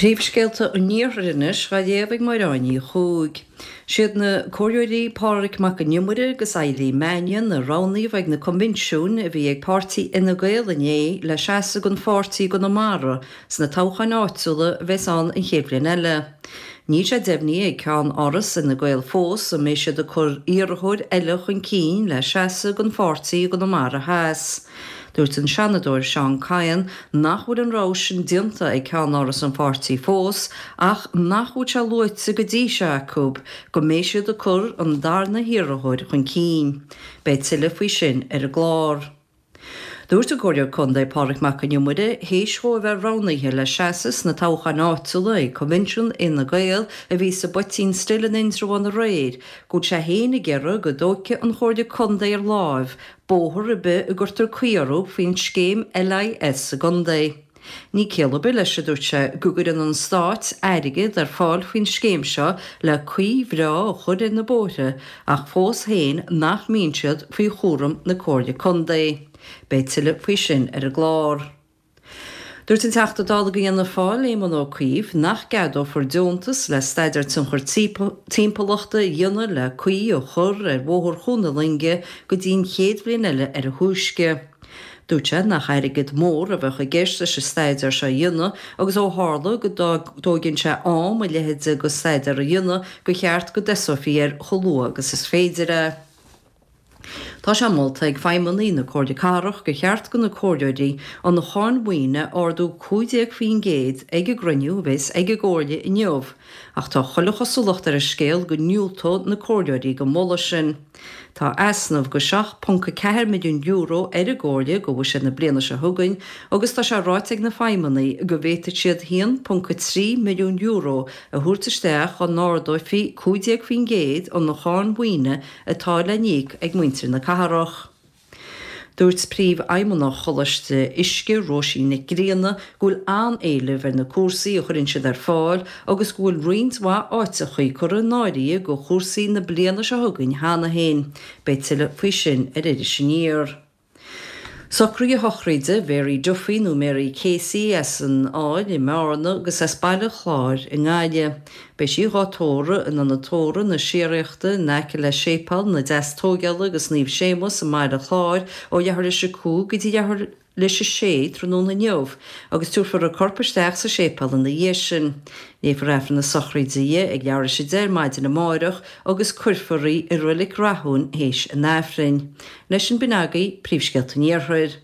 Príomhscéalta an Iarthair anois dhá léamh ag Máire Áine Ní Chuaig. Siad na Comhairleoirí Pádraig Mac an Iomaire agus Eileen Mannion a roghnaíodh ag na coinbhinsiúin a bhí ag páirtí Fhine Gael inné le seasamh don pháirtí i gConamara sna toghcháin áitiúla a bheas ann an chéad bhliain eile. Níl sé deimhnithe ag Ceann-Áras Fhine Gael fós an mbeidh siad ag cur iarrthóir eile chun cinn le seasamh don pháirtí i gConamara Theas. Dúirt an Seanadóir Seán Kyne nach bhfuil an rogha sin déanta ag Ceann-Áras an pháirtí fós ach nach bhfuil sé luaite go dtí seo acu go mbeidh siad ag cur an darna hiarrthóir chun cinn. Beidh tuilleadh faoi sin ar an gclár. Dúirt an Comhairleoir Contae Pádraig Mac an Iomaire, théis dhó a bheith roghnaithe le seasamh sna toghcháin áitiúla ag Coinbhinsiún Fhine Gael a bhí sa bPoitín Stil in Indreabhán aréir, go bhfuil sé féin ag iarraidh go dtógfaidh an Chomhairle Contae ar láimh bóthar ar bith a gcuirtear caoi orthu faoin scéim LIS sa gcontae. Ní ciall ar bith leis, a dúirt sé, go gcuireann an Stát airgead ar fáil faoin scéim seo le caoi bhreá a chur ar na bóithre ach fós féin nach mbíonn siad faoi chúram na Comhairle Contae. Beidh tuilleadh faoi sin ar an gclár. Dúirt an Teachta Dála do Fhianna Fáil, Éamon Ó Cuív, nach gceadófar deontas le staidéar tionchar timpeallachta a dhéanamh le caoi a chur ar Bhóthar Chuan na Loinge go dtí an chéad bhliain eile ar a thúisce. Dúirt sé nach airgead mór a bheadh i gceist leis an staidéar seo a dhéanamh agus ó tharla go dtóigeann sé am a leithéid de staidéar a dhéanamh gur cheart go dtosófaí air chomh luath agus is féidir é. Tá sé molta ag feidhmeannaigh na Comhairle Cathrach gur cheart do na comhairleoirí an cháin mhaoine a ardú 15% ag an gcruinniú a bheas ag an gComhairle inniu ach tá chuile chosúlacht ar an scéal go ndiúltóidh na comhairleoirí don mholadh sin. Tá easnamh de €7.4 milliún ar an gComhairle do bhuiséad na bliana seo chugainn agus tá sé ráite ag na feidhmeannaigh go bhféadfadh siad €1.3 milliún a thabhairt isteach dá n-ardófaí 15% an cháin mhaoine atá le n-íoc ag muintir na cathrach. Dúirt Príomhfheidhmeannach Choláiste Uisce, Róisín Nic Grianna, go bhfuil an-éileamh ar na cúrsaí a chuireann siad ar fáil agus go bhfuil roinnt mhaith áiteachaí curtha in áirithe do chúrsaí na bliana seo chugainn cheana féin. Beidh tuilleadh faoi sin ar Iris Aniar. Socruithe sochraide Mhary Duffy nó Mary Casey as an Aill i mBearna agus as Baile Chláir i nGaillimh. Beidh sí dhá tórramh in Ionad Tórraimh na Síoraíochta in aice le Séipéal na Deastóigeála agus Naomh Séamus i mBaile Chláir ó leathuair théis a 5 go dtí leathuair théis a 6 tráthnóna inniu agus tabharfar a corp isteach sa séipéal ina dhiaidh sin. Léifear Aifreann na sochraide di ag leathuair théis a 10 ar maidin amáireach agus cuirfear í i Reilig Rathúin théis an Aifrinn. Leis sin b'in agaibh príomhscéalta an Iarthair.